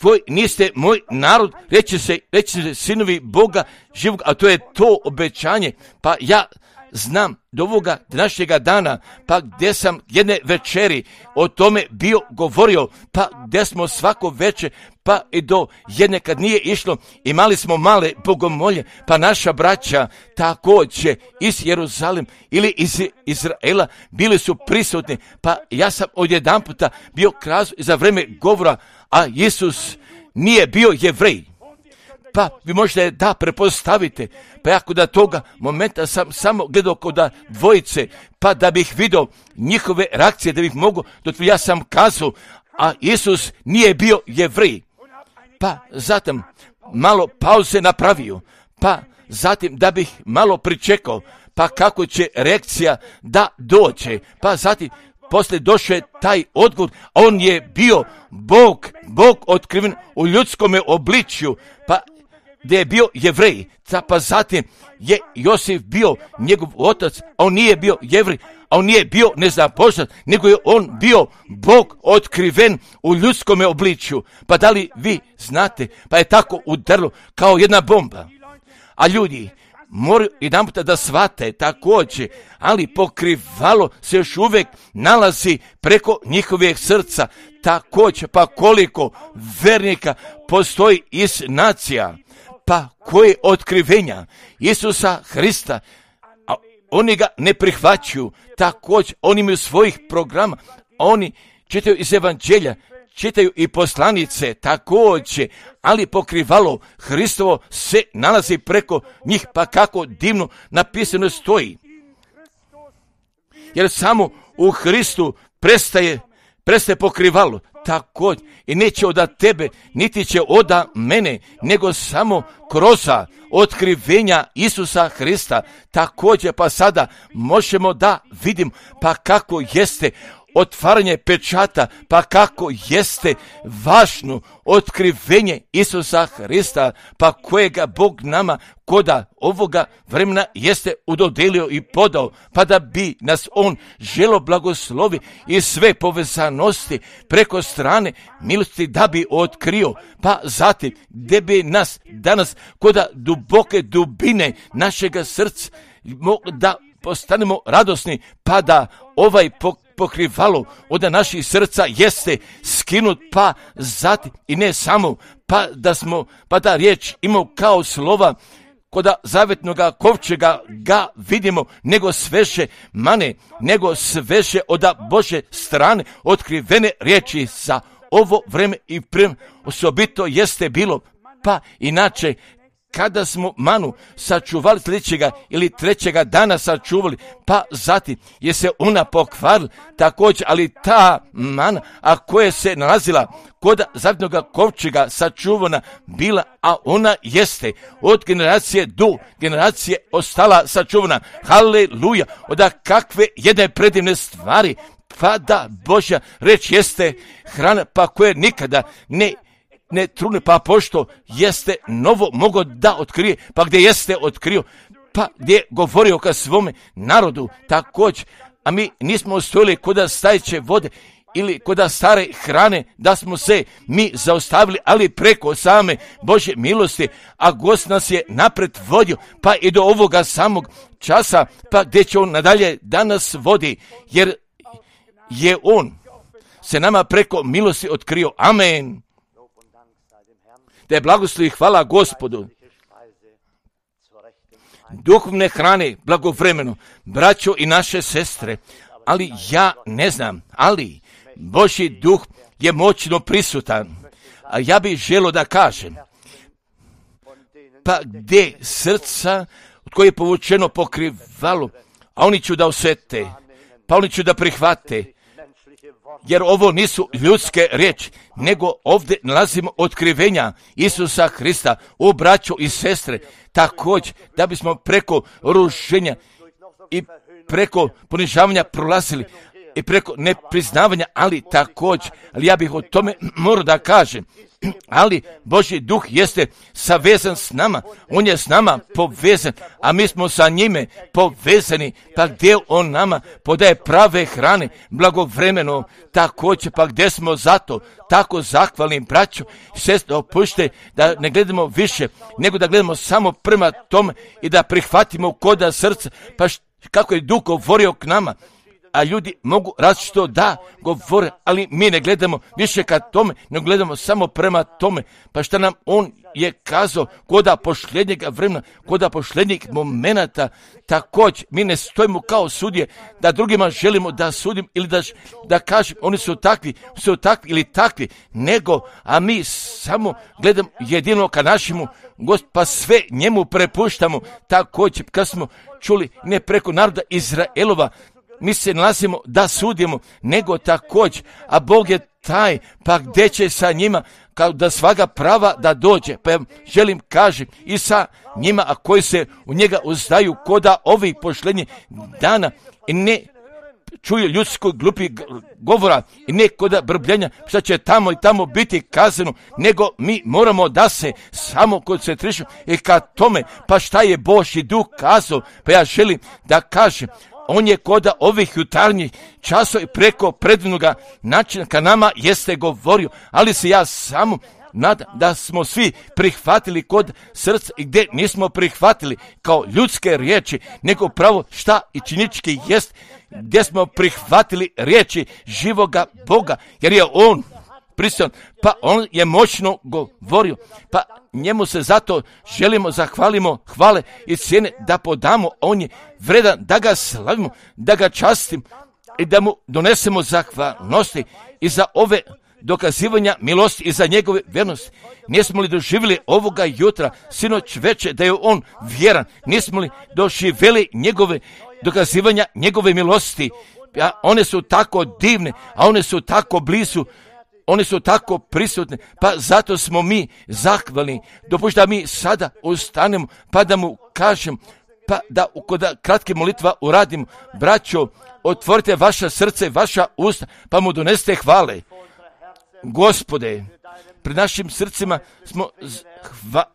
koji niste moj narod, reći se, reći se sinovi Boga živog, a to je to obećanje, pa ja znam do ovoga današnjega dana, pa gdje sam jedne večeri o tome bio govorio, pa gdje smo svako večer, pa i do jedne kad nije išlo, imali smo male bogomolje, pa naša braća također iz Jeruzalem ili iz Izraela bili su prisutni, pa ja sam odjedan puta bio krazu za vrijeme govora, a Isus nije bio Jevrej. Pa vi možete da prepostavite, pa ja kod toga momenta sam samo gledao kod dvojice, pa da bih vidio njihove reakcije, da bih mogao, dok ja sam kazao, a Isus nije bio Jevrej. Pa zatim malo pauze napravio, pa zatim da bih malo pričekao, pa kako će reakcija da dođe, pa zatim poslije došao je taj odgovor, a on je bio Bog, Bog otkriven u ljudskome obličju, pa gdje je bio Jevrej, pa zatim je Josif bio njegov otac, a on nije bio Jevrej, a on nije bio nezapošten, nego je on bio Bog otkriven u ljudskome obličju. Pa da li vi znate, pa je tako udarilo kao jedna bomba. A ljudi moraju jedan puta da shvate također, ali pokrivalo se još uvijek nalazi preko njihovih srca. Također, pa koliko vernika postoji iz nacija, pa koje otkrivenja Isusa Hrista, a oni ga ne prihvaćaju, također oni imaju svojih programa, oni čitaju iz evanđelja, čitaju i poslanice također, ali pokrivalo Hristovo se nalazi preko njih, pa kako divno napisano stoji. Jer samo u Hristu prestaje, prestaje pokrivalo, također, i neće od tebe, niti će od mene, nego samo kroz otkrivenja Isusa Hrista. Također, pa sada možemo da vidim, pa kako jeste otvaranje pečata, pa kako jeste važno otkrivenje Isusa Hrista, pa kojega Bog nama koda ovoga vremena jeste udodelio i podao, pa da bi nas on želo blagoslovi i sve povezanosti preko strane milosti da bi otkrio, pa zatim gdje bi nas danas koda duboke dubine našega srca da postanemo radosni, pa da ovaj pok pokrivalo od naših srca jeste skinut, pa zatim i ne samo, pa da smo, pa da riječ imamo kao slova koda zavetnoga kovčega ga vidimo, nego sveže mane, nego sveže od Bože strane otkrivene riječi za ovo vreme i prem osobito jeste bilo, pa inače kada smo manu sačuvali sljedećega ili trećega dana sačuvali, pa zatim je se ona pokvarila također, ali ta mana, a koja se nalazila kod zavetnoga kovčega sačuvana bila, a ona jeste od generacije do generacije ostala sačuvana. Haleluja! Od kakve jedne predivne stvari, pa da Božja reč jeste hrana, pa koja nikada ne ne trune, pa pošto jeste novo mogo da otkrije, pa gdje jeste otkrio, pa gdje je govorio ka svome narodu također, a mi nismo ostojili kod stajeće vode ili kod stare hrane, da smo se mi zaustavili, ali preko same Božje milosti, a Gost nas je napred vodio, pa i do ovoga samog časa, pa gdje će on nadalje danas vodi, jer je on se nama preko milosti otkrio. Amen. Da je blagoslov i hvala Gospodu. Duhovne hrane blagovremeno, braćo i naše sestre, ali ja ne znam, ali Božji duh je moćno prisutan, a ja bih želio da kažem, pa gdje srca od koje je povučeno pokrivalo, a oni ću da osjete, pa oni ću da prihvate, jer ovo nisu ljudske riječi, nego ovdje nalazimo otkrivenja Isusa Hrista u braćo i sestre, također da bismo preko rušenja i preko ponižavanja prolazili i preko nepriznavanja, ali također, ali ja bih o tome morao da kažem, ali Božji duh jeste savezan s nama, on je s nama povezan, a mi smo sa njime povezani, pa gdje on nama podaje prave hrane, blagovremeno, također, pa gdje smo zato tako zahvalni, braćo i sestre, opušte da ne gledamo više, nego da gledamo samo prema tome i da prihvatimo koda srca, pa kako je Duh govorio k nama, a ljudi mogu različito da govore, ali mi ne gledamo više ka tome, ne gledamo samo prema tome. Pa šta nam on je kazao koda posljednjeg vremena, koda posljednjeg momenata, također mi ne stojimo kao sudije da drugima želimo da sudim ili da, da kažem oni su takvi, su takvi ili takvi, nego, a mi samo gledamo jedino ka našemu Gospod, pa sve njemu prepuštamo. Također kad smo čuli ne preko naroda Izraelova, mi se nalazimo da sudimo, nego također, a Bog je taj, pa gdje će sa njima, kao da svaga prava da dođe. Pa ja želim kažem i sa njima, a koji se u njega uzdaju koda ovih posljednjih dana i ne čuju ljudskog glupi govora i ne koda brbljenja, šta će tamo i tamo biti kazano, nego mi moramo da se samo koncentrišemo i ka tome, pa šta je Božji Duh kazao. Pa ja želim da kažem, on je koda ovih jutarnjih časova preko predivnoga načina ka nama jeste govorio, ali se ja samo nadam da smo svi prihvatili kod srca i gdje nismo prihvatili kao ljudske riječi, nego pravo šta i činički jest, gdje smo prihvatili riječi živoga Boga, jer je on prisutan, pa on je moćno govorio, pa njemu se zato želimo, zahvalimo hvale i cijene da podamo, on je vredan da ga slavimo, da ga častimo i da mu donesemo zahvalnosti i za ove dokazivanja milosti i za njegove vjernosti. Nismo li doživjeli ovoga jutra, sinoć veče, da je on vjeran? Nismo li doživjeli njegove dokazivanja njegove milosti? Ja, one su tako divne, a one su tako blizu, one su tako prisutne, pa zato smo mi zahvalni. Dopušta mi sada ustanemo, pa da mu kažem, pa da kod kratke molitva uradimo. Braćo, otvorite vaša srce, vaša usta, pa mu donesete hvale. Gospode, pred našim srcima smo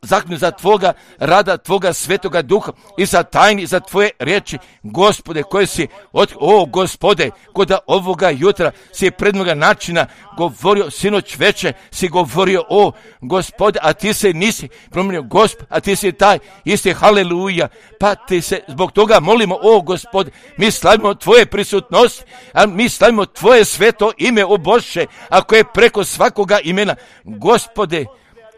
zahvalni za Tvoga rada, Tvoga svetoga duha i za tajni, za Tvoje riječi, Gospode, koje si, od, o Gospode, koda ovoga jutra si prednoga načina govorio, sinoć veče si govorio, o Gospode, a Ti se nisi promijenio, Gospod, a Ti si taj isti, haleluja, pa Ti se zbog toga molimo, o Gospode, mi slavimo Tvoje prisutnosti, a mi slavimo Tvoje sveto ime, o Bože, ako je preko svakoga imena, Gospode,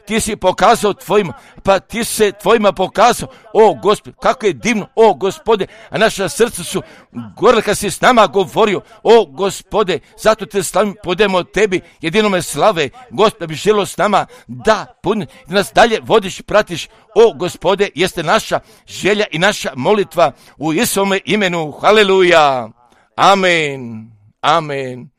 Ti si pokazao tvojima, pa ti se tvojima pokazao, o Gospod, kako je divno, o Gospode, a naša srca su gorila kad si s nama govorio, o Gospode, zato te slavim, podemo tebi, jedinome slave, Gospod bi želio s nama da puni, da nas dalje vodiš, pratiš, o Gospode, jeste naša želja i naša molitva u Isusovome imenu, haleluja, amen, amen.